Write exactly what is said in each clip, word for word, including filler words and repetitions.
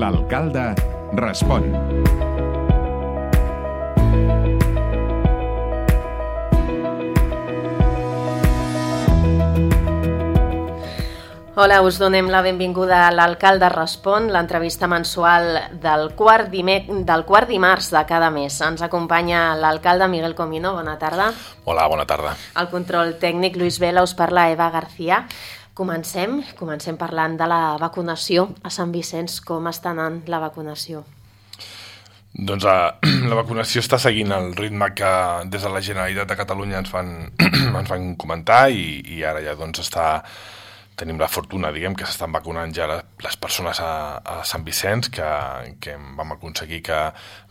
L'alcalde respon. Hola, us donem la benvinguda a l'Alcalde Respon, l'entrevista mensual del quart, dime... del quart dimarts de cada mes. Ens acompanya l'alcalde Miguel Comino. Bona tarda. Hola, bona tarda. El control tècnic Lluís Vela, us parla Eva García. Comencem, comencem parlant de la vacunació a Sant Vicenç. Com està anant la vacunació? Doncs uh, la vacunació està seguint el ritme que des de la Generalitat de Catalunya ens van, ens van comentar i, i ara ja doncs està... Tenim la fortuna, diguem, que s'estan vacunant ja les persones a, a Sant Vicenç, que, que vam aconseguir que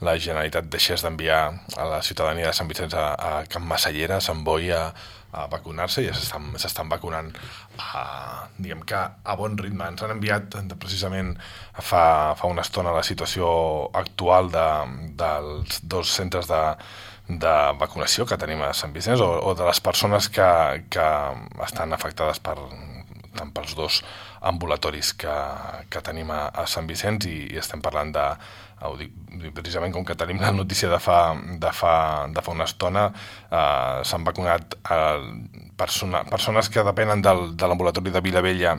la Generalitat deixés d'enviar a la ciutadania de Sant Vicenç a, a Can Massallera, a Sant Boi, a, a vacunar-se, i ja s'estan, s'estan vacunant a, diguem que a bon ritme. Ens han enviat precisament fa, fa una estona la situació actual de, dels dos centres de, de vacunació que tenim a Sant Vicenç, o, o de les persones que, que estan afectades per tant pels dos ambulatoris que, que tenim a, a Sant Vicenç, i, i estem parlant de, ho dic, precisament com que tenim la notícia de fa, de fa, de fa una estona, eh, s'han vacunat eh, persona, persones que depenen del, de l'ambulatori de Vilavella,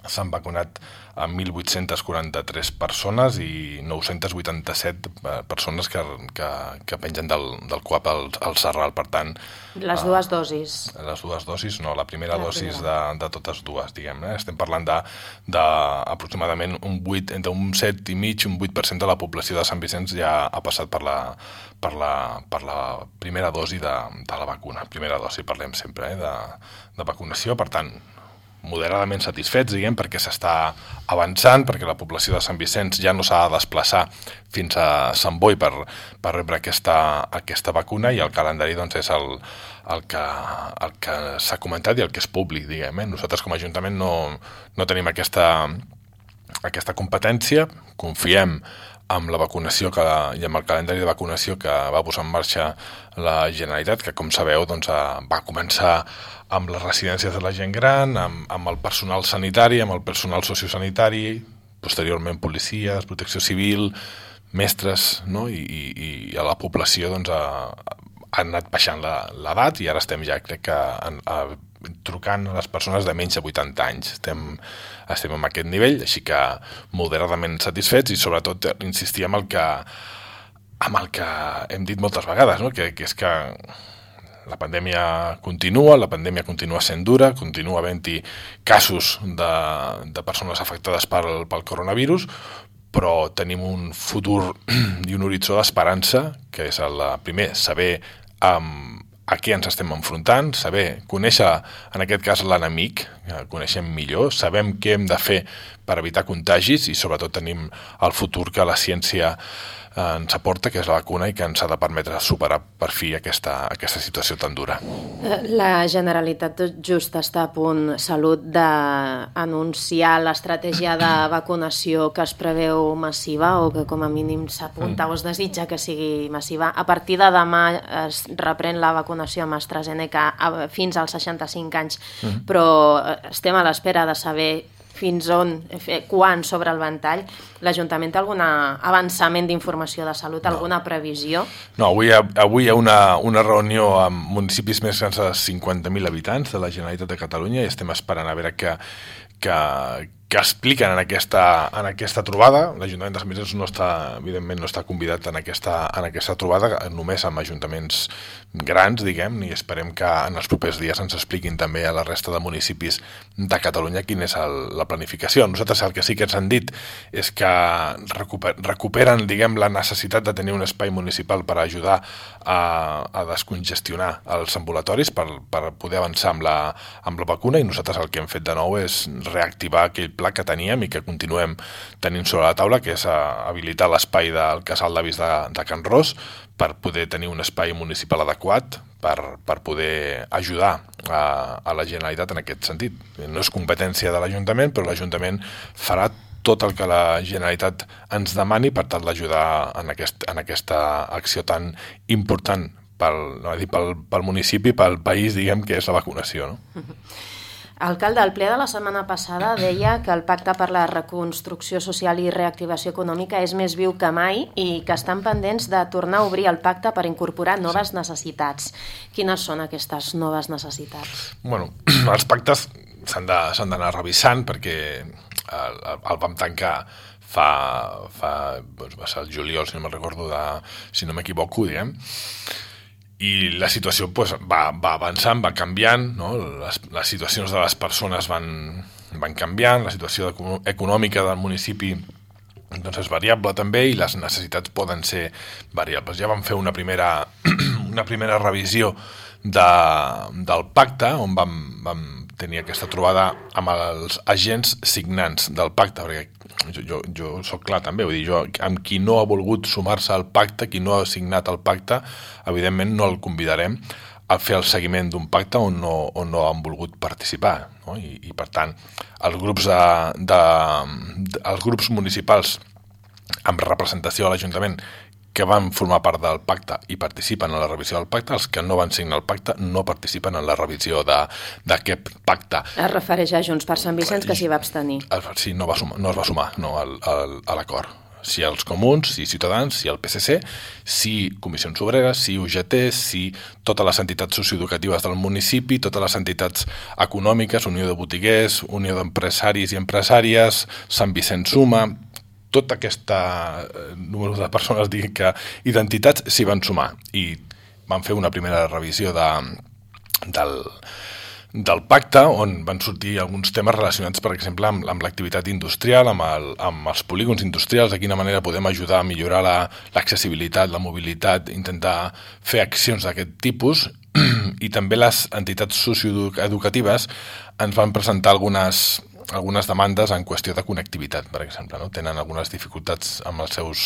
s'han vacunat a mil vuit-cents quaranta-tres persones i nou-cents vuitanta-set persones que, que, que pengen del, del C U A P al, al Serral. Per tant, les dues uh, dosis. Les dues dosis, no, la primera la dosis primera. De, de totes dues, diguem. Eh? Estem parlant de, de aproximadament un vuit, entre un set i mig, un vuit per cent de la població de Sant Vicenç ja ha passat per la, per la, per la primera dosi de, de la vacuna. Primera dosi, parlem sempre, eh? de, de vacunació, per tant, moderadament satisfets, diguem, perquè s'està avançant, perquè la població de Sant Vicenç ja no s'ha de desplaçar fins a Sant Boi per, per rebre aquesta, aquesta vacuna, i el calendari doncs, és el, el que, el que s'ha comentat i el que és públic, diguem. Eh? Nosaltres com a Ajuntament no, no tenim aquesta, aquesta competència, confiem amb la vacunació que, i amb el calendari de vacunació que va posar en marxa la Generalitat, que com sabeu doncs, va començar amb les residències de la gent gran, amb, amb el personal sanitari, amb el personal sociosanitari, posteriorment policies, protecció civil, mestres, no? I, i, i a la població doncs, ha, ha anat baixant l'edat, i ara estem ja, crec que, a, a, trucant a les persones de menys de vuitanta anys. Estem, estem en aquest nivell, així que moderadament satisfets, i sobretot insistir en el que, amb el que hem dit moltes vegades, no? que, que és que la pandèmia continua, la pandèmia continua sent dura, continua havent-hi casos de, de persones afectades pel, pel coronavirus, però tenim un futur i un horitzó d'esperança, que és el primer, saber um, a què ens estem enfrontant, saber, conèixer en aquest cas l'enemic, que coneixem millor, sabem què hem de fer per evitar contagis, i sobretot tenim el futur que la ciència ens aporta, que és la vacuna, i que ens ha de permetre superar per fi aquesta, aquesta situació tan dura. La Generalitat tot just està a punt, Salut, d'anunciar l'estratègia de vacunació que es preveu massiva, o que com a mínim s'apunta mm. o es desitja que sigui massiva. A partir de demà es reprèn la vacunació amb AstraZeneca fins als seixanta-cinc anys, mm. però estem a l'espera de saber fins on, quan sobre el ventall. L'Ajuntament té algun avançament d'informació de salut, no. alguna previsió? No, avui, avui hi ha una, una reunió amb municipis més grans de cinquanta mil habitants de la Generalitat de Catalunya, i estem esperant a veure que, que, que expliquen en aquesta, en aquesta trobada. L'Ajuntament de Sant Vicenç no està, evidentment, no està convidat en aquesta, en aquesta trobada, només amb ajuntaments grans, diguem, i esperem que en els propers dies ens expliquin també a la resta de municipis de Catalunya quina és el, la planificació. Nosaltres el que sí que ens han dit és que recuper, recuperen, diguem, la necessitat de tenir un espai municipal per ajudar a, a descongestionar els ambulatoris, per, per poder avançar amb la, amb la vacuna, i nosaltres el que hem fet de nou és reactivar aquell pla que teníem i que continuem tenint sobre la taula, que és habilitar l'espai del Casal d'Avis de, de Can Ros, per poder tenir un espai municipal adequat per, per poder ajudar a, a la Generalitat en aquest sentit. No és competència de l'Ajuntament, però l'Ajuntament farà tot el que la Generalitat ens demani per tal d'ajudar en, aquest, en aquesta acció tan important pel, no, dir, pel, pel municipi, pel país, diguem, que és la vacunació, no? Alcalde, el ple de la setmana passada deia que el Pacte per la Reconstrucció Social i Reactivació Econòmica és més viu que mai i que estan pendents de tornar a obrir el pacte per incorporar noves necessitats. Quines són aquestes noves necessitats? Bueno, els pactes s'han d'anar revisant perquè el, el vam tancar fa, fa doncs va ser el juliol, si no me'n recordo, de, si no m'equivoco, diguem, i la situació pues, va, va avançant, va canviant, no? les, les situacions de les persones van, van canviant, la situació econòmica del municipi doncs és variable també i les necessitats poden ser variables. Ja vam fer una primera, una primera revisió de, del pacte on vam, vam tenir aquesta trobada amb els agents signants del pacte, perquè jo, jo, jo soc clar també, vull dir, jo, amb qui no ha volgut sumar-se al pacte, qui no ha signat el pacte, evidentment no el convidarem a fer el seguiment d'un pacte on no, on no han volgut participar, no? I, i per tant, els grups, de, de, de, els grups municipals amb representació a l'Ajuntament que van formar part del pacte i participen en la revisió del pacte, els que no van signar el pacte no participen en la revisió d'aquest pacte. Es refereix a Junts per Sant Vicenç, que s'hi va abstenir. Sí, no, va sumar, no es va sumar no, al, al, a l'acord. Si els comuns, si Ciutadans, si el P C C, si Comissions Obreres, si U G T, si totes les entitats socioeducatives del municipi, totes les entitats econòmiques, Unió de Botiguers, Unió d'Empresaris i Empresàries, Sant Vicenç Suma, tot aquest número de persones que, i d'entitats s'hi van sumar i van fer una primera revisió de, del, del pacte on van sortir alguns temes relacionats, per exemple, amb, amb l'activitat industrial, amb, el, amb els polígons industrials, de quina manera podem ajudar a millorar l'accessibilitat, la, la mobilitat, intentar fer accions d'aquest tipus i també les entitats socioeducatives ens van presentar algunes algunes demandes en qüestió de connectivitat, per exemple, no? Tenen algunes dificultats amb els seus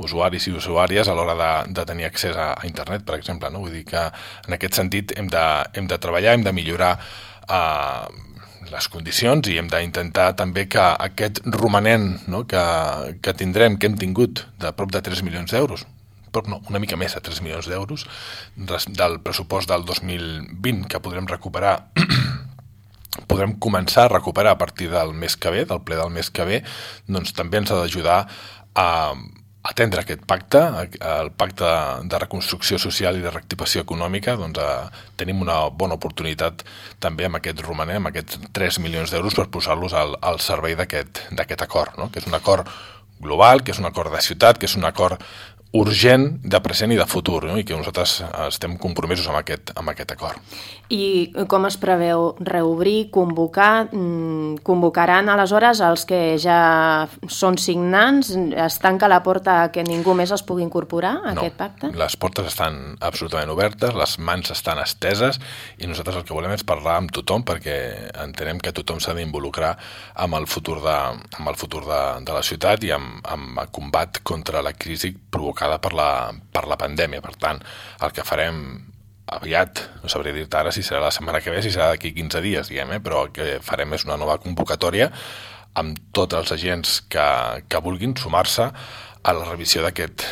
usuaris i usuàries a l'hora de, de tenir accés a, a internet, per exemple, no? Vull dir que en aquest sentit hem de, hem de treballar, hem de millorar eh, les condicions i hem d'intentar també que aquest romanent, no? que, que tindrem, que hem tingut de prop de tres milions d'euros, però no, una mica més de tres milions d'euros del pressupost del dos mil vint que podrem recuperar podrem començar a recuperar a partir del mes que ve, del ple del mes que ve, doncs també ens ha d'ajudar a atendre aquest pacte, el pacte de reconstrucció social i de reactivació econòmica, doncs a, tenim una bona oportunitat també amb aquest romanent, amb aquests tres milions d'euros per posar-los al, al servei d'aquest acord, no? Que és un acord global, que és un acord de ciutat, que és un acord urgent de present i de futur, no? I que nosaltres estem compromesos amb aquest, amb aquest acord. I com es preveu reobrir, convocar? Convocaran aleshores els que ja són signants? Es tanca la porta que ningú més es pugui incorporar a no, aquest pacte? Les portes estan absolutament obertes, les mans estan esteses i nosaltres el que volem és parlar amb tothom perquè entenem que tothom s'ha d'involucrar amb el futur, de, amb el futur de, de la ciutat i amb, amb el combat contra la crisi provocada per la, per la pandèmia. Per tant, el que farem aviat, no sabré dir-te ara si serà la setmana que ve, si serà d'aquí quinze dies, diguem, eh? Però el que farem és una nova convocatòria amb tots els agents que, que vulguin sumar-se a la revisió d'aquest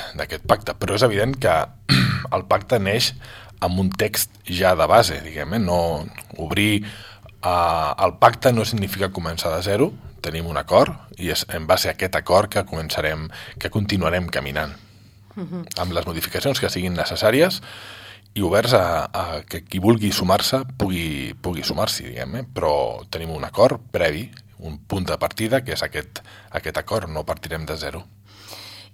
pacte. Però és evident que el pacte neix amb un text ja de base, diguem, eh? No obrir uh, el pacte no significa començar de zero, tenim un acord i és en base a aquest acord que començarem, que continuarem caminant. Uh-huh. Amb les modificacions que siguin necessàries i oberts a, a que qui vulgui sumar-se pugui, pugui sumar-s'hi, diguem, eh? Però tenim un acord previ, un punt de partida, que és aquest, aquest acord, no partirem de zero.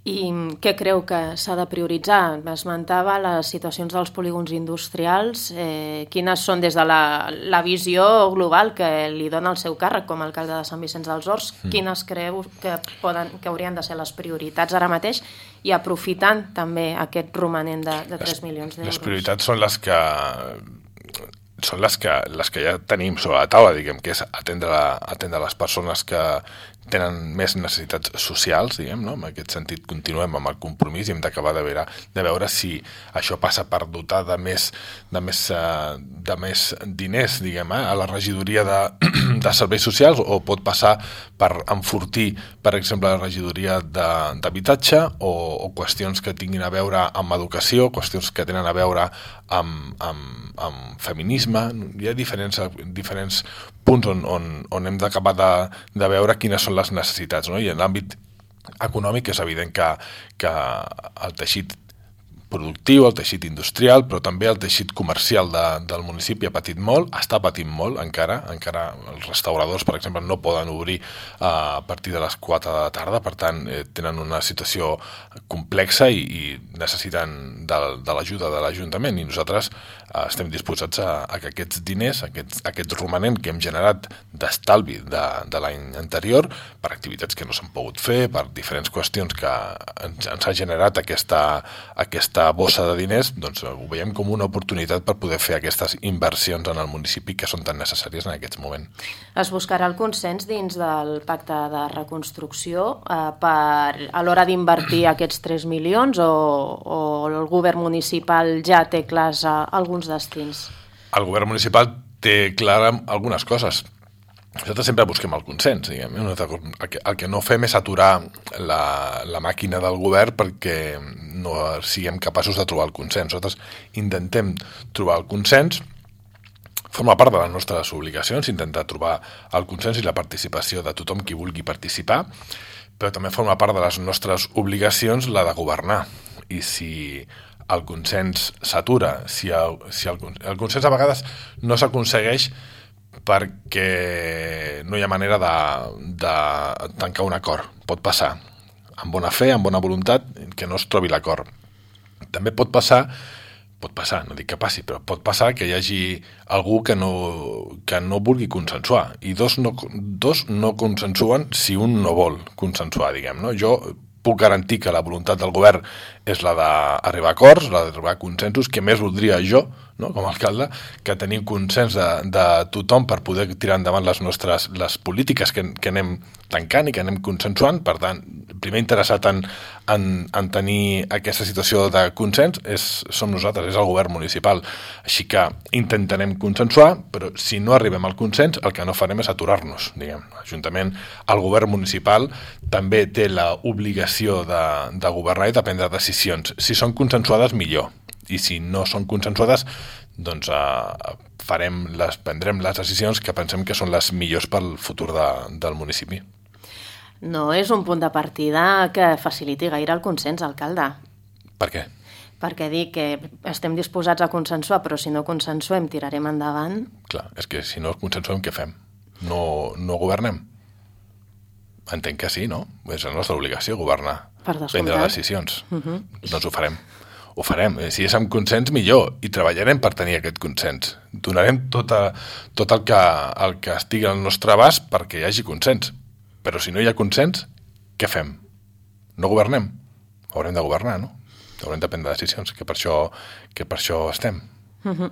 I què creu que s'ha de prioritzar? Esmentava les situacions dels polígons industrials. Eh, quines són des de la, la visió global que li dona el seu càrrec com a alcalde de Sant Vicenç dels Horts? Mm. Quines creu que, poden, que haurien de ser les prioritats ara mateix i aprofitant també aquest romanent de, de tres milions d'euros? Les prioritats són les que són les que, les que ja tenim sobre la taula, diguem, que és atendre, atendre les persones que tenen més necessitats socials, diguem, no? En aquest sentit continuem amb el compromís i hem d'acabar de veure, de veure si això passa per dotar de més, de més, de més diners, diguem, eh? A la regidoria de, de serveis socials, o pot passar per enfortir, per exemple, la regidoria d'habitatge o, o qüestions que tinguin a veure amb educació, qüestions que tenen a veure amb, amb, amb feminisme, mecanisme, hi ha diferents, diferents punts on, on, on hem d'acabar de, de veure quines són les necessitats, no? I en l'àmbit econòmic és evident que, que el teixit productiu, el teixit industrial, però també el teixit comercial de, del municipi ha patit molt, està patint molt encara, encara els restauradors, per exemple, no poden obrir uh, a partir de les quatre de la tarda, per tant, eh, tenen una situació complexa i, i necessiten de, de l'ajuda de l'Ajuntament, i nosaltres uh, estem disposats a, a que aquests diners, aquests, aquest romanent que hem generat d'estalvi de, de l'any anterior, per activitats que no s'han pogut fer, per diferents qüestions que ens, ens ha generat aquesta, aquesta bossa de diners, doncs ho veiem com una oportunitat per poder fer aquestes inversions en el municipi que són tan necessàries en aquest moment. Es buscarà el consens dins del pacte de reconstrucció eh, per, a l'hora d'invertir aquests tres milions o, o el govern municipal ja té clars eh, alguns destins? El govern municipal té clar algunes coses. Nosaltres sempre busquem el consens, diguem. El que, el que no fem és aturar la, la màquina del govern perquè no siguem capaços de trobar el consens. Nosaltres intentem trobar el consens, forma part de les nostres obligacions, intentar trobar el consens i la participació de tothom qui vulgui participar, però també forma part de les nostres obligacions la de governar. I si el consens s'atura, si, el, si el, el consens a vegades no s'aconsegueix perquè no hi ha manera de, de tancar un acord. Pot passar, amb bona fe, amb bona voluntat, que no es trobi l'acord. També pot passar, pot passar, no dic que passi, però pot passar que hi hagi algú que no, que no vulgui consensuar, i dos no, dos no consensuen si un no vol consensuar, diguem, no? Jo puc garantir que la voluntat del govern és la d'arribar a acords, la d'arribar a consensos, que més voldria jo, no, com a alcalde, que tenim consens de, de tothom per poder tirar endavant les nostres les polítiques que, que anem tancant i que anem consensuant. Per tant, primer interessat en, en, en tenir aquesta situació de consens és, som nosaltres, és el govern municipal. Així que intentarem consensuar, però si no arribem al consens, el que no farem és aturar-nos, diguem. L'Ajuntament, el govern municipal també té l'obligació de, de governar i de prendre decisions. Si són consensuades, millor. I si no són consensuades, doncs eh, farem les, prendrem les decisions que pensem que són les millors pel futur de, del municipi. No és un punt de partida que faciliti gaire el consens, alcalde. Per què? Perquè dic que estem disposats a consensuar, però si no consensuem tirarem endavant. Clar, és que si no consensuem, què fem? No, no governem? Entenc que sí, no? És la nostra obligació governar, prendre decisions. Uh-huh. Doncs ho farem. Ho farem. Si és amb consens, millor. I treballarem per tenir aquest consens. Donarem tot, a, tot el, que, el que estigui al nostre abast perquè hi hagi consens. Però si no hi ha consens, què fem? No governem? Haurem de governar, no? Haurem de prendre decisions, que per això, que per això estem. Uh-huh.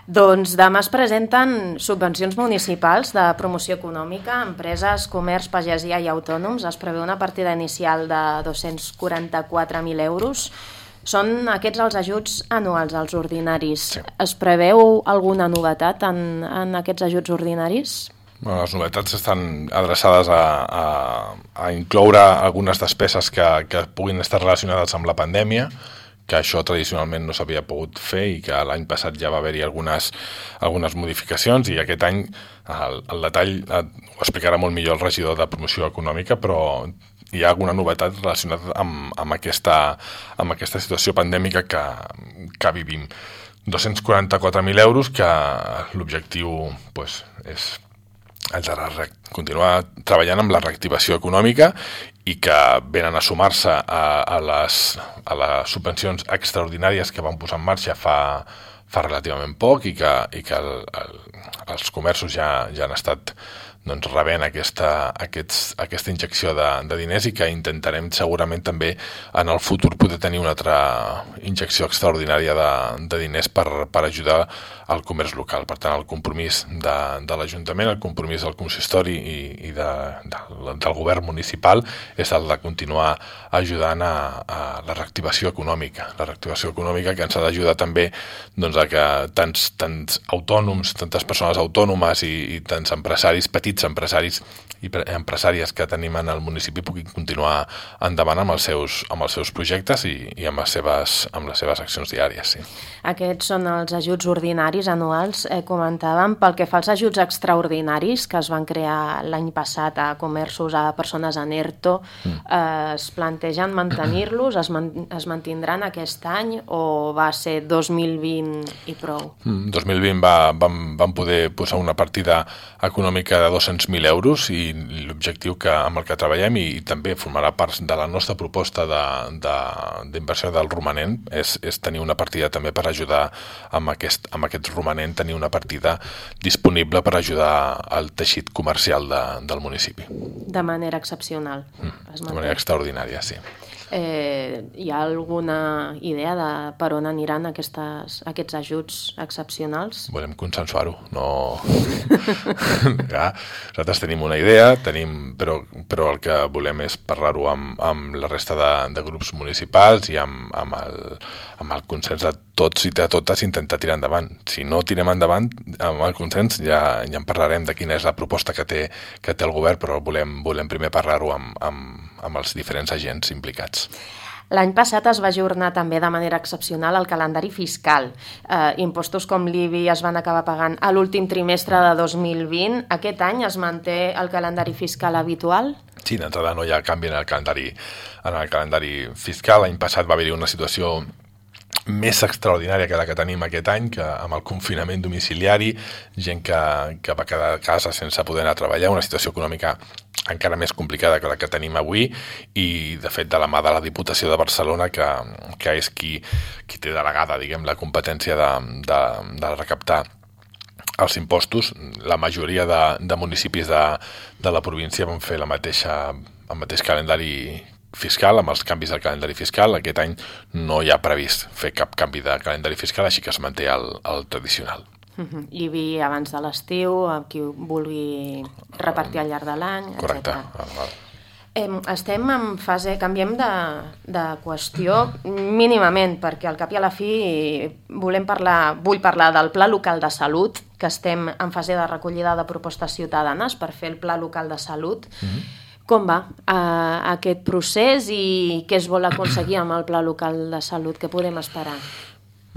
Doncs demà es presenten subvencions municipals de promoció econòmica a empreses, comerç, pagesia i autònoms. Es preveu una partida inicial de dos-cents quaranta-quatre mil euros. Són aquests els ajuts anuals, els ordinaris. Sí. Es preveu alguna novetat en, en aquests ajuts ordinaris? Bueno, les novetats estan adreçades a, a, a incloure algunes despeses que, que puguin estar relacionades amb la pandèmia, que això tradicionalment no s'havia pogut fer i que l'any passat ja va haver-hi algunes, algunes modificacions, i aquest any el, el detall ho explicarà molt millor el regidor de promoció econòmica, però hi ha alguna novetat relacionada amb, amb, aquesta, amb aquesta situació pandèmica que, que vivim. dos-cents quaranta-quatre mil euros, que l'objectiu pues, és el de continuar treballant amb la reactivació econòmica i que venen a sumar-se a, a, les, a les subvencions extraordinàries que van posar en marxa fa, fa relativament poc i que, i que el, el, els comerços ja, ja han estat doncs, rebent aquesta, aquests, aquesta injecció de, de diners, i que intentarem segurament també en el futur poder tenir una altra injecció extraordinària de, de diners per, per ajudar al comerç local. Per tant, el compromís de, de l'Ajuntament, el compromís del consistori i, i de, de, del govern municipal és el de continuar ajudant a, a la reactivació econòmica. La reactivació econòmica que ens ha d'ajudar també doncs, a que tants, tants autònoms, tantes persones autònomes i, i tants empresaris petits petits empresaris i empresàries que tenim en el municipi puguin continuar endavant amb els seus, amb els seus projectes i, i amb, les seves, amb les seves accions diàries. Sí. Aquests són els ajuts ordinaris anuals, eh, comentàvem. Pel que fa als ajuts extraordinaris que es van crear l'any passat a comerços, a persones en ERTO, mm. eh, es plantegen mantenir-los, es, man es mantindran aquest any o va ser dos mil vint i prou? Mm, dos mil vint va, vam, vam poder posar una partida econòmica de dos-cents mil euros i l'objectiu que amb el que treballem i, i també formarà part de la nostra proposta d'inversió de, de, del romanent és, és tenir una partida també per ajudar amb aquest, amb aquest romanent, tenir una partida disponible per ajudar al teixit comercial de, del municipi. De manera excepcional. Mm, de manera extraordinària, sí. Eh, hi ha alguna idea de per on aniran aquestes, aquests ajuts excepcionals? Volem consensuar-ho. No... ja, nosaltres tenim una idea, tenim, però, però el que volem és parlar-ho amb, amb la resta de, de grups municipals i amb, amb, el, amb el consens de tots i de totes intentar tirar endavant. Si no tirem endavant amb el consens ja, ja en parlarem de quina és la proposta que té, que té el govern, però volem, volem primer parlar-ho amb, amb, amb els diferents agents implicats. L'any passat es va ajornar també de manera excepcional el calendari fiscal. Eh, impostos com l'I B I es van acabar pagant a l'últim trimestre de dos mil vint. Aquest any es manté el calendari fiscal habitual? Sí, d'entrada no hi ha canvi en el calendari, en el calendari fiscal. L'any passat va haver-hi una situació més extraordinària que la que tenim aquest any, que amb el confinament domiciliari, gent que, que va quedar a casa sense poder anar a treballar, una situació econòmica encara més complicada que la que tenim avui i, de fet, de la mà de la Diputació de Barcelona, que, que és qui, qui té delegada, diguem, la competència de, de, de recaptar els impostos. La majoria de, de municipis de, de la província van fer la mateixa, el mateix calendari fiscal, amb els canvis del calendari fiscal. Aquest any no hi ha previst fer cap canvi de calendari fiscal, així que es manté el, el tradicional. Uh-huh. I vi abans de l'estiu, a qui vulgui repartir al llarg de l'any, correcte. etcètera. Eh, estem en fase, canviem de, de qüestió mínimament, perquè al cap i a la fi volem parlar, vull parlar del Pla Local de Salut, que estem en fase de recollida de propostes ciutadanes per fer el Pla Local de Salut. Uh-huh. Com va eh, aquest procés i què es vol aconseguir amb el Pla Local de Salut? Què podem esperar?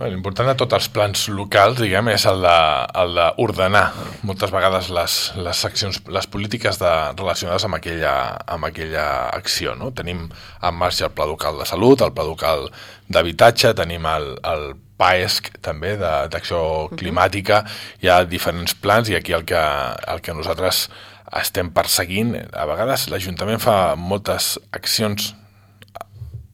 L'important de tots els plans locals, diguem, és el d'ordenar moltes vegades les, les accions, les polítiques de, relacionades amb aquella, amb aquella acció. No? Tenim en marxa el Pla Local de Salut, el Pla Local d'Habitatge, tenim el, el P A E S C també, d'acció climàtica, hi ha diferents plans i aquí el que, el que nosaltres estem perseguint, a vegades l'Ajuntament fa moltes accions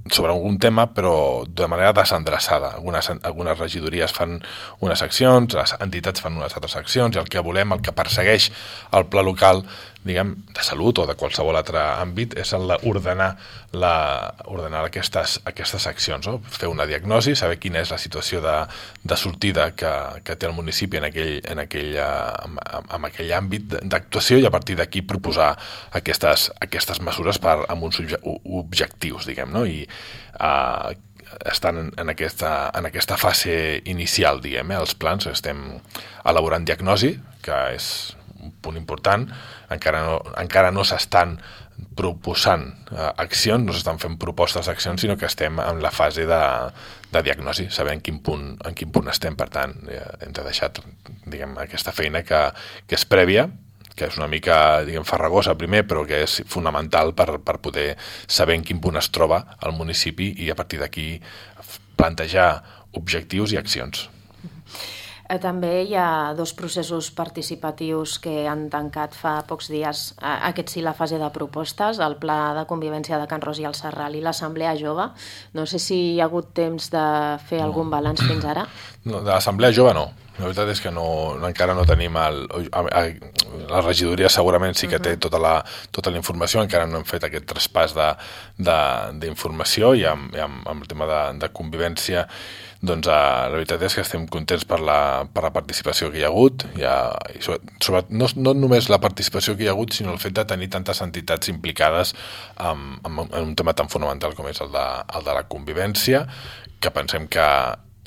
sobre algun tema, però de manera desendreçada. Algunes, algunes regidories fan unes accions, les entitats fan unes altres accions, i el que volem, el que persegueix el pla local, diguem, de salut o de qualsevol altre àmbit, és el d'ordenar la, ordenar aquestes, aquestes accions, no? Fer una diagnosi, saber quina és la situació de, de sortida que, que té el municipi en aquell, en aquell, en, en aquell àmbit d'actuació i a partir d'aquí proposar aquestes, aquestes mesures per, amb uns objectius, diguem, no? I Uh, estan en aquesta, en aquesta fase inicial, diguem, eh? Els plans, estem elaborant diagnosi, que és un punt important, encara no, encara no s'estan proposant uh, accions, no s'estan fent propostes d'accions, sinó que estem en la fase de, de diagnosi, sabent quin punt, en quin punt estem, per tant, eh, hem de deixar, diguem, aquesta feina que, que és prèvia, que és una mica, diguem, farragosa primer, però que és fonamental per, per poder saber en quin punt es troba el municipi i a partir d'aquí plantejar objectius i accions. També hi ha dos processos participatius que han tancat fa pocs dies, aquest sí la fase de propostes, el Pla de Convivència de Can Ros i el Serral i l'Assemblea Jove. No sé si hi ha hagut temps de fer no. algun balanç fins ara. No, de l'Assemblea Jove no. La veritat és que no, no, encara no tenim... El, la regidoria segurament sí que té tota la, tota la informació, encara no hem fet aquest traspàs d'informació i amb, i amb, amb el tema de, de convivència doncs eh, la veritat és que estem contents per la, per la participació que hi ha hagut, hi ha, i sobre, sobre, no, no només la participació que hi ha hagut, sinó el fet de tenir tantes entitats implicades en, en, en un tema tan fonamental com és el de, el de la convivència, que pensem que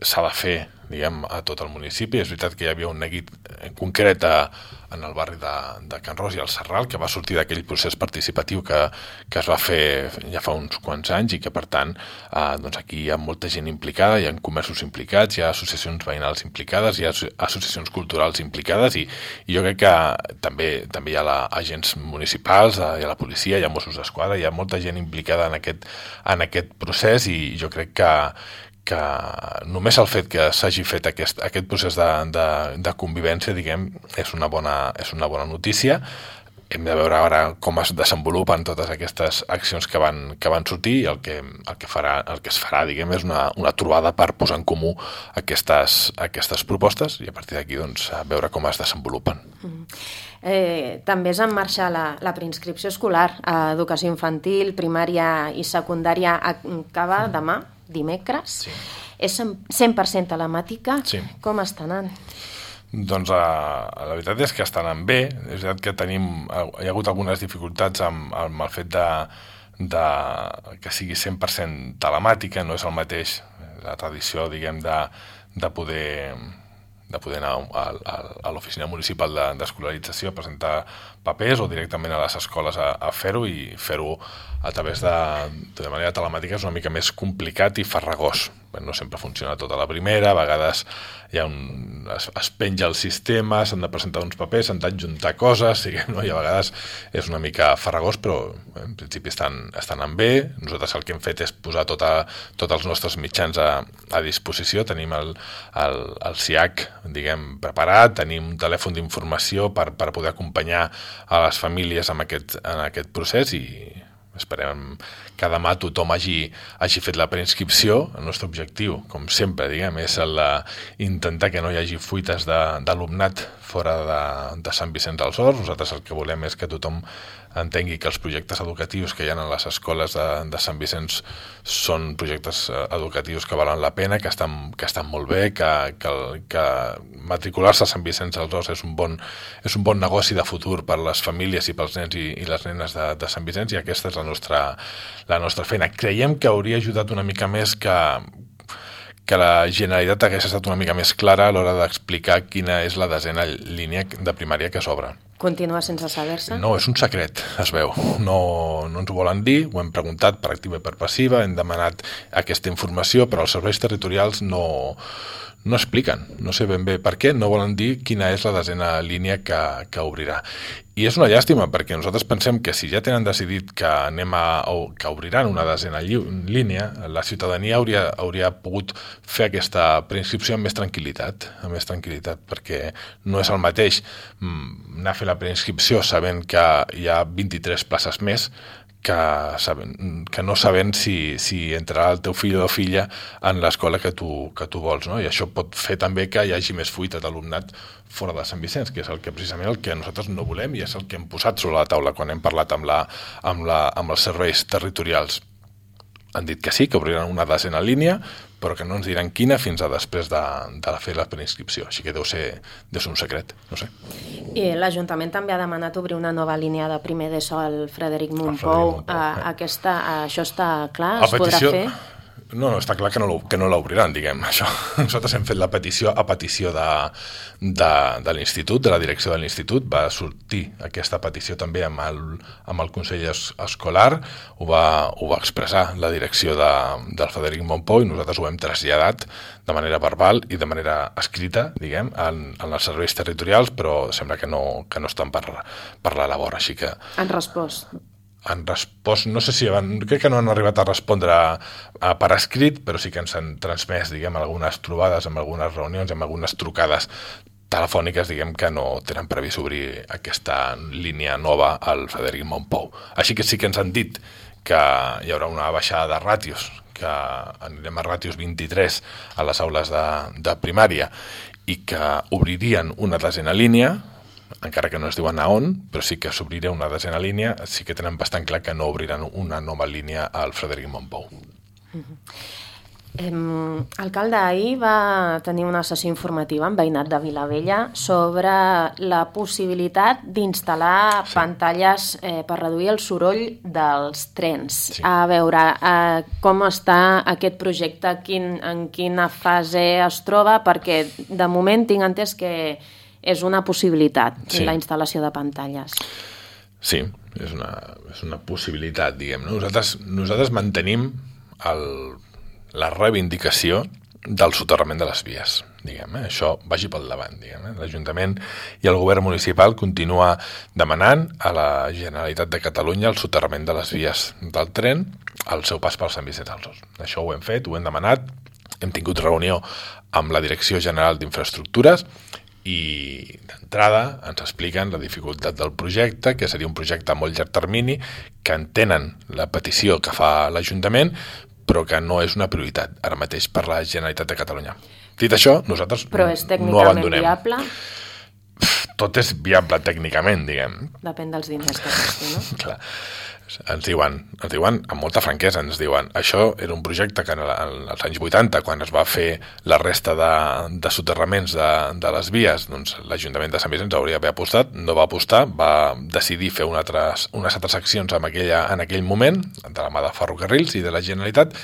s'ha de fer diguem, a tot el municipi. És veritat que hi havia un neguit concret a, en el barri de, de Can Ros i el Serral, que va sortir d'aquell procés participatiu que, que es va fer ja fa uns quants anys i que, per tant, eh, doncs aquí hi ha molta gent implicada, hi ha comerços implicats, hi ha associacions veïnals implicades, hi ha associacions culturals implicades i, i jo crec que també, també hi ha la, agents municipals, hi ha la policia, hi ha Mossos d'Esquadra, hi ha molta gent implicada en aquest, en aquest procés i jo crec que, que només el fet que s'hagi fet aquest, aquest procés de, de, de convivència, diguem, és una bona, és una bona notícia. Hem de veure ara com es desenvolupen totes aquestes accions que van, que van sortir i el que, el que, farà, el que es farà, diguem, és una, una trobada per posar en comú aquestes, aquestes propostes i a partir d'aquí doncs, veure com es desenvolupen. Mm. Eh, també és en marxa la, la preinscripció escolar a educació infantil, primària i secundària acaba demà, dimecres. Sí. És cent per cent telemàtica. Sí. Com està anant? Doncs uh, la veritat és que està anant bé. És veritat que tenim, hi ha hagut algunes dificultats amb, amb el fet de, de que sigui cent per cent telemàtica, no és el mateix la tradició, diguem, de, de poder... de poder anar a, a, a l'oficina municipal d'escolarització a presentar papers o directament a les escoles a, a fer-ho i fer-ho a través de, de manera telemàtica és una mica més complicat i farragós. No sempre funciona tota la primera, a vegades hi ha un, es, es penja el sistema, s'han de presentar uns papers, s'han d'adjuntar coses, sí, no? I a vegades és una mica farragós, però en principi estan, estan anant bé. Nosaltres el que hem fet és posar tota, tots els nostres mitjans a, a disposició. Tenim el, el, el S I A C, diguem, preparat, tenim un telèfon d'informació per, per poder acompanyar a les famílies en aquest, en aquest procés i esperem que demà tothom hagi, hagi fet la preinscripció. El nostre objectiu, com sempre, diguem, és el intentar que no hi hagi fuites d'alumnat fora de, de Sant Vicenç dels Horts. Nosaltres el que volem és que tothom entengui que els projectes educatius que hi ha a les escoles de, de Sant Vicenç són projectes educatius que valen la pena, que estan, que estan molt bé, que, que, que matricular-se a Sant Vicenç dels Horts és un bon, és un bon negoci de futur per les famílies i pels nens i, i les nenes de, de Sant Vicenç, i aquesta és la nostra, la nostra feina. Creiem que hauria ajudat una mica més que que la Generalitat hagués estat una mica més clara a l'hora d'explicar quina és la desena línia de primària que s'obre. Continua sense saber-se? No, és un secret, es veu. No, no ens ho volen dir, ho hem preguntat per activa i per passiva, hem demanat aquesta informació, però els serveis territorials no, no expliquen. No sé ben bé per què, no volen dir quina és la desena línia que, que obrirà. I és una llàstima, perquè nosaltres pensem que si ja tenen decidit que anem a, o que obriran una desena línia, la ciutadania hauria, hauria pogut fer aquesta preinscripció amb més tranquil·litat, amb més tranquil·litat, perquè no és el mateix anar a fer la preinscripció sabent que hi ha vint-i-tres places més, que, saben, que no sabent si, si entrarà el teu fill o filla en l'escola que tu, que tu vols, no? I això pot fer també que hi hagi més fuita d'alumnat fora de Sant Vicenç, que és el que precisament el que nosaltres no volem i és el que hem posat sobre la taula quan hem parlat amb, la, amb, la, amb els serveis territorials. Han dit que sí, que obriran una desena línia, però que no ens diran quina fins a després de, de fer la preinscripció. Així que deu ser, deu ser un secret, no sé. I l'Ajuntament també ha demanat obrir una nova línia de primer d'ESO al Frederic Mompou. Aquesta, això està clar? Es petició... podrà fer? No, no, està clar que no, que no l'obriran, diguem, això. Nosaltres hem fet la petició a petició de, de, de l'institut, de la direcció de l'institut, va sortir aquesta petició també amb el, amb el Consell Escolar, ho va, ho va expressar la direcció de, del Frederic Mompou i nosaltres ho hem traslladat de manera verbal i de manera escrita, diguem, en, en els serveis territorials, però sembla que no, que no estan per, per la labor, així que... Han respost. Han respost, no sé si van, crec que no han arribat a respondre a, a per escrit, però sí que ens han transmès, diguem, algunes trobades, amb algunes reunions, amb algunes trucades telefòniques, diguem, que no tenen previst obrir aquesta línia nova al Frederic Mompou. Així que sí que ens han dit que hi haurà una baixada de ràtios, que anirem a ràtios vint-i-tres a les aules de, de primària i que obririen una desena línia, encara que no es diuen a on, però sí que s'obrirà una desena línia, sí que tenen bastant clar que no obriran una nova línia al Frederic Mompou. Mm-hmm. L'alcalde ahir va tenir una sessió informativa amb veïnat de Vilavella sobre la possibilitat d'instal·lar sí. pantalles eh, per reduir el soroll dels trens. Sí. A veure eh, com està aquest projecte, quin, en quina fase es troba, perquè de moment tinc entès que és una possibilitat, sí. la instal·lació de pantalles. Sí, és una, és una possibilitat, diguem. Nosaltres, nosaltres mantenim el... la reivindicació del soterrament de les vies, diguem, eh? Això vagi pel davant, diguem, eh? L'Ajuntament i el govern municipal continua demanant a la Generalitat de Catalunya el soterrament de les vies del tren al seu pas per Sant Vicenç dels Horts. Això ho hem fet, ho hem demanat, hem tingut reunió amb la Direcció General d'Infraestructures i d'entrada ens expliquen la dificultat del projecte, que seria un projecte a molt llarg termini, que entenen la petició que fa l'Ajuntament, però que no és una prioritat ara mateix per la Generalitat de Catalunya. Dit això, nosaltres però és no abandonem. Viable? Tot és viable tècnicament, diguem. Depèn dels diners que costi, no? Clar. Ens diuen, ens diuen, amb molta franquesa, ens diuen, això era un projecte que en els anys vuitanta, quan es va fer la resta de, de soterraments de, de les vies, doncs l'Ajuntament de Sant Vicenç hauria d'haver apostat, no va apostar, va decidir fer una altres, unes altres accions en, aquella, en aquell moment, de la mà de Ferrocarrils i de la Generalitat,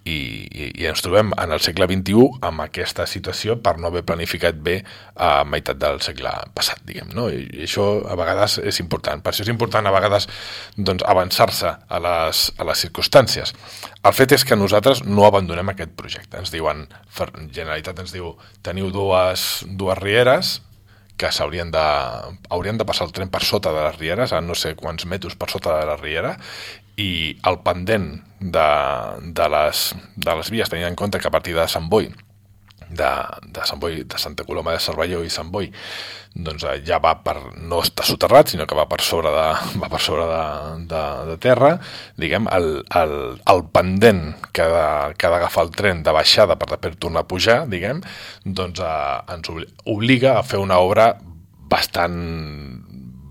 i, i, i ens trobem en el segle vint-i-u amb aquesta situació per no haver planificat bé a meitat del segle passat, diguem, no? I, i això a vegades és important. Per això és important a vegades doncs, avançar-se a les, a les circumstàncies. El fet és que nosaltres no abandonem aquest projecte. Ens diuen, Generalitat ens diu, teniu dues, dues rieres que s'haurien de, haurien de passar el tren per sota de les rieres, a no sé quants metres per sota de la riera, i el pendent de, de, les, de les vies, tenint en compte que a partir de Sant Boi, de, de Sant Boi, de Santa Coloma de Cervelló i Sant Boi, doncs ja va per, no està soterrat, sinó que va per sobre de, va per sobre de, de, de terra, diguem, el, el, el pendent que ha de, que ha d'agafar el tren de baixada per després tornar a pujar, diguem, doncs eh, ens obliga a fer una obra bastant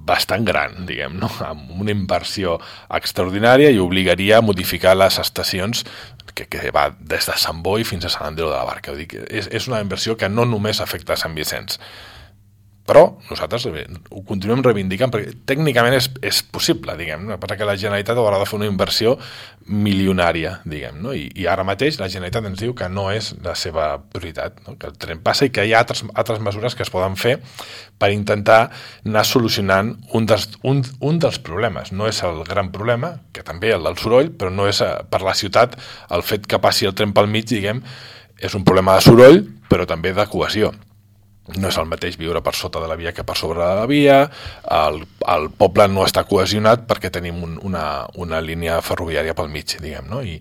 bastant gran, diguem, no? Amb una inversió extraordinària i obligaria a modificar les estacions que, que va des de Sant Boi fins a Sant Andreu de la Barca. Vull dir que és, és una inversió que no només afecta a Sant Vicenç, però nosaltres ho continuem reivindicant perquè tècnicament és, és possible, diguem, no? Perquè que la Generalitat haurà de fer una inversió milionària, diguem, no? I, i ara mateix la Generalitat ens diu que no és la seva prioritat, no? Que el tren passa i que hi ha altres, altres mesures que es poden fer per intentar anar solucionant un dels, un, un dels problemes. No és el gran problema, que també el del soroll, però no és per la ciutat el fet que passi el tren pel mig, diguem, és un problema de soroll, però també de cohesió. No és el mateix viure per sota de la via que per sobre de la via, el, el poble no està cohesionat perquè tenim un, una, una línia ferroviària pel mig, diguem, no? I,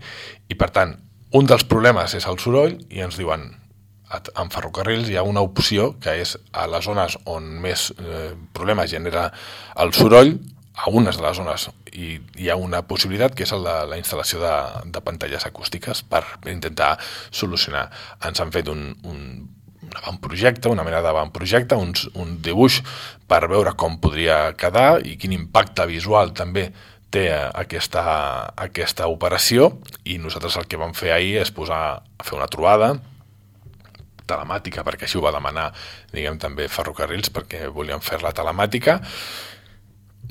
i per tant, un dels problemes és el soroll i ens diuen, en ferrocarrils hi ha una opció que és a les zones on més eh, problemes genera el soroll, a unes de les zones hi, hi ha una possibilitat que és el de la instal·lació de, de pantalles acústiques per intentar solucionar. Ens han fet un, un un avantprojecte, una mena d'avantprojecte, un, un dibuix per veure com podria quedar i quin impacte visual també té aquesta, aquesta operació, i nosaltres el que vam fer ahir és posar a fer una trobada telemàtica, perquè així ho va demanar, diguem, també Ferrocarrils, perquè volien fer-la telemàtica,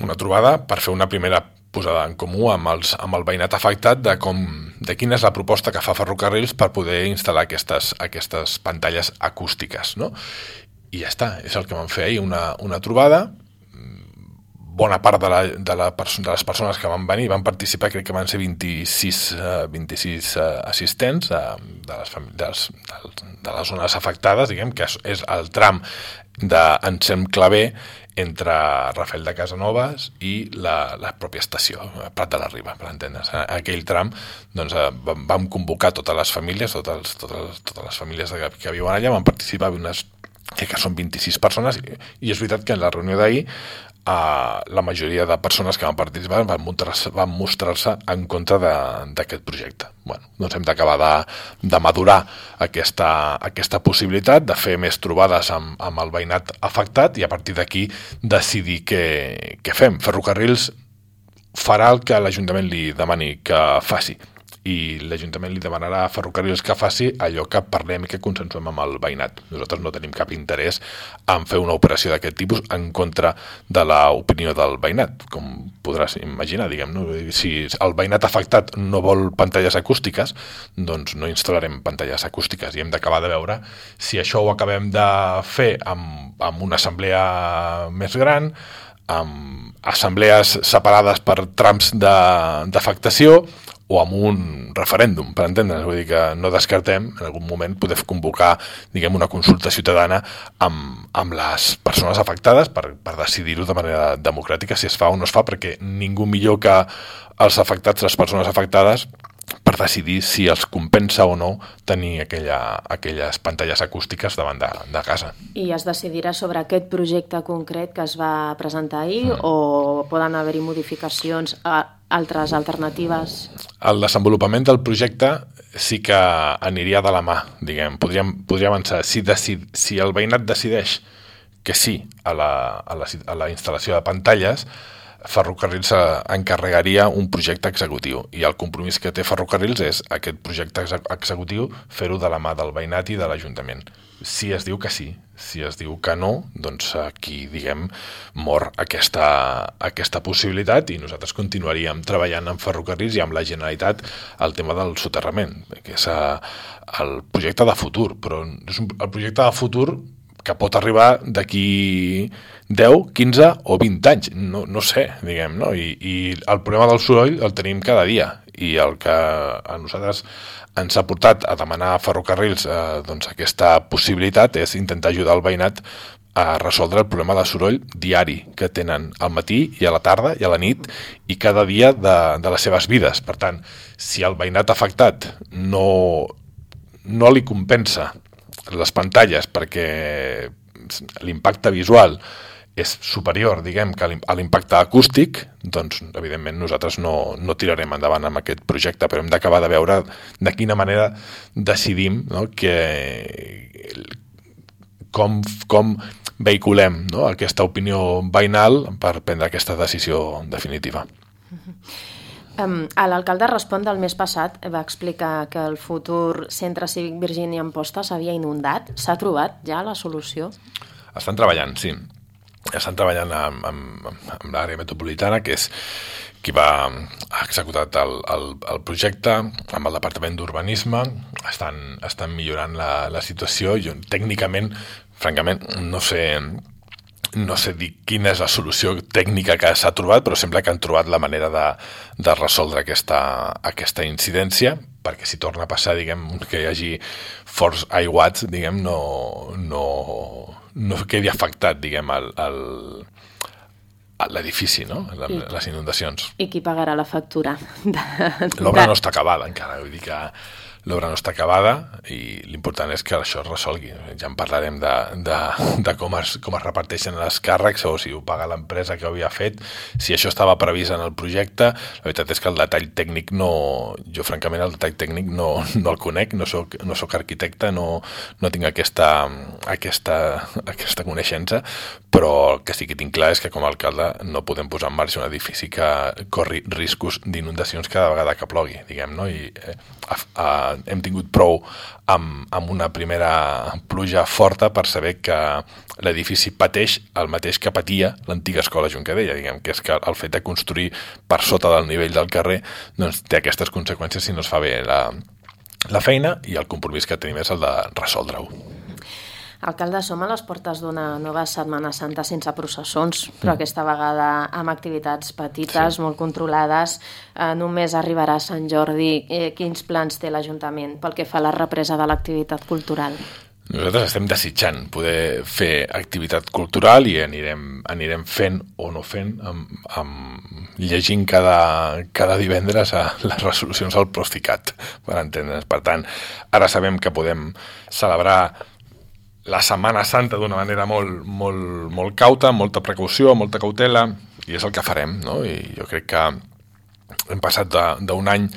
una trobada per fer una primera posada en comú amb, els, amb el veïnat afectat de, com, de quina és la proposta que fa Ferrocarrils per poder instal·lar aquestes, aquestes pantalles acústiques, no? I ja està, és el que vam fer ahir, una, una trobada. Bona part de, la, de, la, de les persones que van venir van participar, crec que van ser vint-i-sis, uh, vint-i-sis uh, assistents uh, de, les de, les, de les zones afectades, diguem, que és, és el tram d'Ensem Claver entre Rafel de Casanovas i la, la pròpia estació, Prat de la Riba, per entendre's. En aquell tram doncs, vam convocar totes les famílies, totes, totes, totes les famílies que, que viuen allà, van participar unes, crec que són vint-i-sis persones, i, i és veritat que en la reunió d'ahir Uh, la majoria de persones que van participar van mostrar-se, van mostrar-se en contra d'aquest projecte. Bueno, doncs hem d'acabar de, de madurar aquesta, aquesta possibilitat, de fer més trobades amb, amb el veïnat afectat i a partir d'aquí decidir què, què fem. Ferrocarrils farà el que l'Ajuntament li demani que faci i l'Ajuntament li demanarà a Ferrocarrils que faci allò que parlem i que consensuem amb el veïnat. Nosaltres no tenim cap interès en fer una operació d'aquest tipus en contra de l'opinió del veïnat, com podràs imaginar, diguem, no? Si el veïnat afectat no vol pantalles acústiques, doncs no instal·larem pantalles acústiques i hem d'acabar de veure si això ho acabem de fer amb, amb una assemblea més gran, amb assemblees separades per trams d'afectació o amb un referèndum, per entendre's. Vull dir que no descartem en algun moment poder convocar, diguem, una consulta ciutadana amb, amb les persones afectades per, per decidir-ho de manera democràtica si es fa o no es fa, perquè ningú millor que els afectats, les persones afectades, per decidir si els compensa o no tenir aquella, aquelles pantalles acústiques davant de, de casa. I es decidirà sobre aquest projecte concret que es va presentar ahir mm. o poden haver-hi modificacions a altres alternatives? El desenvolupament del projecte sí que aniria de la mà, diguem. Podríem, podria avançar. Si, decid, si el veïnat decideix que sí a la, a la, a la instal·lació de pantalles, Ferrocarrils encarregaria un projecte executiu i el compromís que té Ferrocarrils és aquest projecte executiu fer-ho de la mà del veïnat i de l'Ajuntament. Si es diu que sí, si es diu que no, doncs aquí, diguem, mor aquesta, aquesta possibilitat i nosaltres continuaríem treballant amb Ferrocarrils i amb la Generalitat el tema del soterrament, que és el projecte de futur, però és un, el projecte de futur que pot arribar d'aquí deu, quinze o vint anys, no, no sé, diguem, no? I, i el problema del soroll el tenim cada dia i el que a nosaltres ens ha portat a demanar a Ferrocarrils eh, doncs aquesta possibilitat és intentar ajudar el veïnat a resoldre el problema de soroll diari que tenen al matí i a la tarda i a la nit i cada dia de, de les seves vides. Per tant, si el veïnat afectat no, no li compensa les pantalles perquè l'impacte visual és superior, diguem, que a l'impacte acústic, doncs, evidentment, nosaltres no, no tirarem endavant amb aquest projecte, però hem d'acabar de veure de quina manera decidim, no, que, com, com vehiculem, no, aquesta opinió veïnal per prendre aquesta decisió definitiva. Um, L'alcalde Respon del mes passat va explicar que el futur Centre Cívic Virgínia Amposta s'havia inundat. S'ha trobat ja la solució? Estan treballant, sí. Estan treballant amb, amb, amb l'àrea metropolitana, que és qui va ha executat el, el, el projecte, amb el Departament d'Urbanisme. Estan, estan millorant la, la situació. Jo, tècnicament, francament, no sé... No sé dir quina és la solució tècnica que s'ha trobat, però sembla que han trobat la manera de, de resoldre aquesta, aquesta incidència, perquè si torna a passar, diguem, que hi hagi forts aiguats, diguem, no, no, no quedi afectat, diguem, el, el, l'edifici, no? I, les inundacions. I qui pagarà la factura? L'obra no està acabada encara, vull dir que l'obra no està acabada i l'important és que això es resolgui. Ja en parlarem de, de, de com, es, com es reparteixen els càrrecs o si ho paga l'empresa que ho havia fet, si això estava previst en el projecte. La veritat és que el detall tècnic no... Jo, francament, el detall tècnic no, no el conec, no soc, no soc arquitecte, no, no tinc aquesta, aquesta, aquesta coneixença, però que sí que tinc clar és que com a alcalde no podem posar en marxa un edifici que corri riscos d'inundacions cada vegada que plogui, diguem, no? I eh, a, a, hem tingut prou amb, amb una primera pluja forta per saber que l'edifici pateix el mateix que patia l'antiga escola Juncadella, diguem, que és que el fet de construir per sota del nivell del carrer doncs, té aquestes conseqüències si no es fa bé la, la feina i el compromís que tenim és el de resoldre-ho. Alcalde, som a les portes d'una nova Setmana Santa sense processons, però mm. aquesta vegada amb activitats petites, sí. molt controlades. Eh, només arribarà a Sant Jordi. Eh, quins plans té l'Ajuntament pel que fa a la represa de l'activitat cultural? Nosaltres estem desitjant poder fer activitat cultural i anirem, anirem fent o no fent, amb, amb, llegint cada, cada divendres a les resolucions al Procicat, per entendre's. Per tant, ara sabem que podem celebrar la Setmana Santa d'una manera molt, molt, molt cauta, amb molta precaució, molta cautela, i és el que farem, no? I jo crec que hem passat d'un any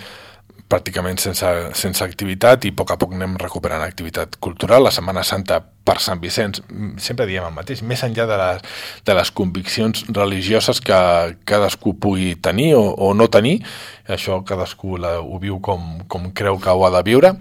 pràcticament sense, sense activitat i a poc a poc anem recuperant activitat cultural. La Setmana Santa per Sant Vicenç, sempre diem el mateix, més enllà de les, de les conviccions religioses que cadascú pugui tenir o, o no tenir, això cadascú la, ho viu com, com creu que ho ha de viure.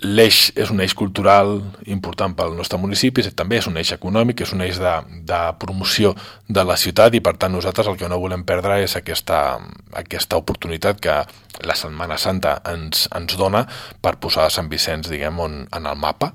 L'eix és un eix cultural important pel nostre municipi, també és un eix econòmic, és un eix de, de promoció de la ciutat i per tant nosaltres el que no volem perdre és aquesta, aquesta oportunitat que la Setmana Santa ens, ens dona per posar Sant Vicenç, diguem, on, en el mapa,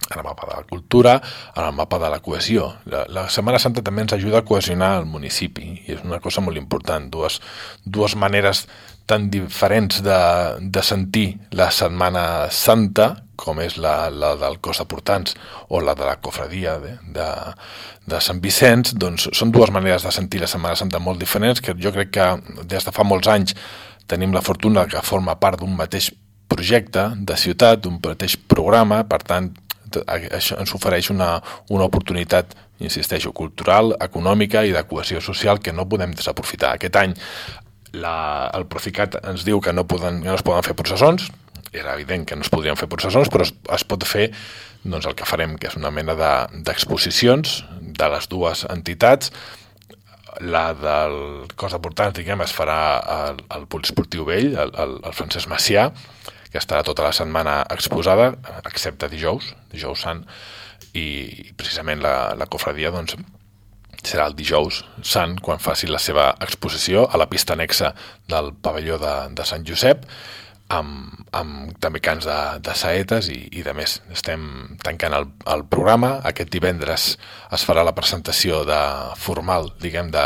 en el mapa de la cultura, en el mapa de la cohesió. La, la Setmana Santa també ens ajuda a cohesionar el municipi i és una cosa molt important, dues, dues maneres tan diferents de, de sentir la Setmana Santa, com és la, la del cos de portants o la de la cofradia de, de, de Sant Vicenç, doncs són dues maneres de sentir la Setmana Santa molt diferents, que jo crec que des de fa molts anys tenim la fortuna que forma part d'un mateix projecte de ciutat, d'un mateix programa, per tant, això ens ofereix una, una oportunitat, insisteixo, cultural, econòmica i de cohesió social que no podem desaprofitar. Aquest any la, el Procicat ens diu que no, poden, no es poden fer processons, era evident que no es podrien fer processons, però es, es pot fer doncs, el que farem, que és una mena d'exposicions de, de les dues entitats. La del cos de portants, diguem, es farà al, al Poliesportiu Vell, al, al Francesc Macià, que estarà tota la setmana exposada, excepte dijous, dijous sant, i precisament la, la cofradia doncs, serà el dijous sant, quan faci la seva exposició a la pista anexa del pavelló de, de Sant Josep, amb, amb també cants de, de saetes i, i de més. Estem tancant el, el programa. Aquest divendres es farà la presentació de, formal, diguem, de,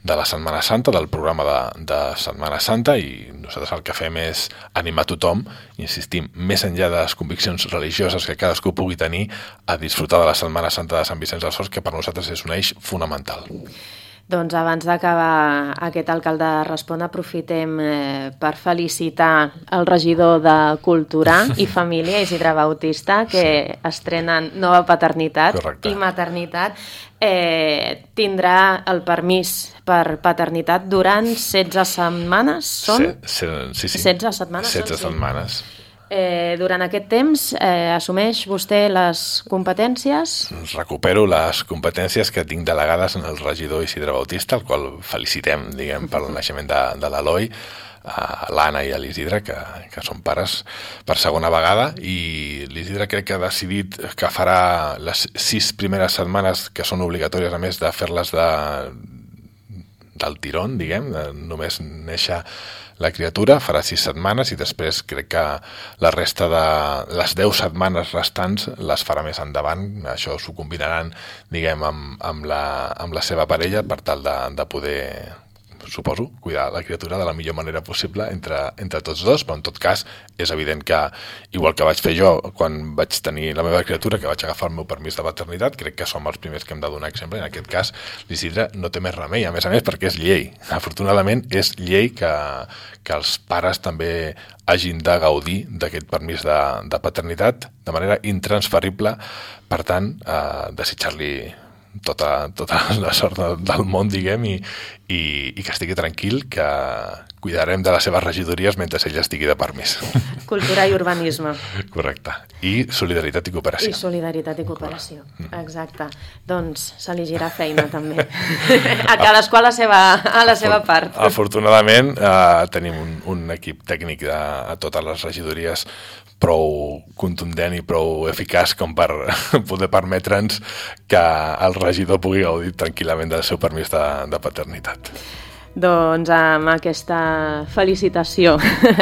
de la Setmana Santa, del programa de, de Setmana Santa, i nosaltres el que fem és animar tothom, insistim, més enllà de les conviccions religioses que cadascú pugui tenir, a disfrutar de la Setmana Santa de Sant Vicenç dels Horts, que per nosaltres és un eix fonamental. Doncs abans d'acabar aquest alcalde Respon, aprofitem eh, per felicitar el regidor de Cultura i Família, Isidre Bautista, que sí. estrenen nova paternitat. Correcte. I maternitat. Eh, tindrà el permís per paternitat durant setze setmanes, són? Se, se, sí, sí. setze setmanes. setze són, setmanes. Sí. Eh, durant aquest temps eh, assumeix vostè les competències? Recupero les competències que tinc delegades en el regidor Isidre Bautista, el qual felicitem, diguem, per el naixement de, de l'Eloi, a l'Anna i a l'Isidre, que, que són pares per segona vegada, i l'Isidre crec que ha decidit que farà les sis primeres setmanes, que són obligatòries a més de fer-les de, del tirón, diguem, de només néixer la criatura, farà sis setmanes i després crec que la resta de les deu setmanes restants les farà més endavant. Això s'ho combinaran, diguem, amb, amb, la, amb la seva parella per tal de, de poder, suposo, cuidar la criatura de la millor manera possible entre, entre tots dos, però en tot cas és evident que, igual que vaig fer jo quan vaig tenir la meva criatura, que vaig agafar el meu permís de paternitat, crec que som els primers que hem de donar exemple. En aquest cas, l'Isidre no té més remei, a més a més, perquè és llei. Afortunadament, és llei que, que els pares també hagin de gaudir d'aquest permís de, de paternitat de manera intransferible. Per tant, eh, desitjar-li tota, tota la sort del món, diguem, i, i, i que estigui tranquil, que cuidarem de les seves regidories mentre ell estigui de permís. Cultura i urbanisme. Correcte. I solidaritat i cooperació. I solidaritat i cooperació, exacte. Doncs s'elegirà feina, també. A cadascú a la seva, a la seva part. Afortunadament, eh, tenim un, un equip tècnic de, a totes les regidories prou contundent i prou eficaç com per poder permetre'ns que el regidor pugui gaudir tranquil·lament del seu permís de, de paternitat. Doncs amb aquesta felicitació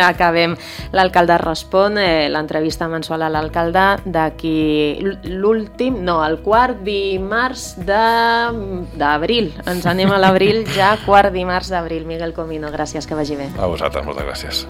acabem l'Alcalde Respon, eh, l'entrevista mensual a l'alcalde d'aquí l'últim, no, el quart dimarts d'abril. Ens anem a l'abril ja, quart dimarts d'abril. Miguel Comino, gràcies, que vagi bé. A vosaltres, moltes gràcies.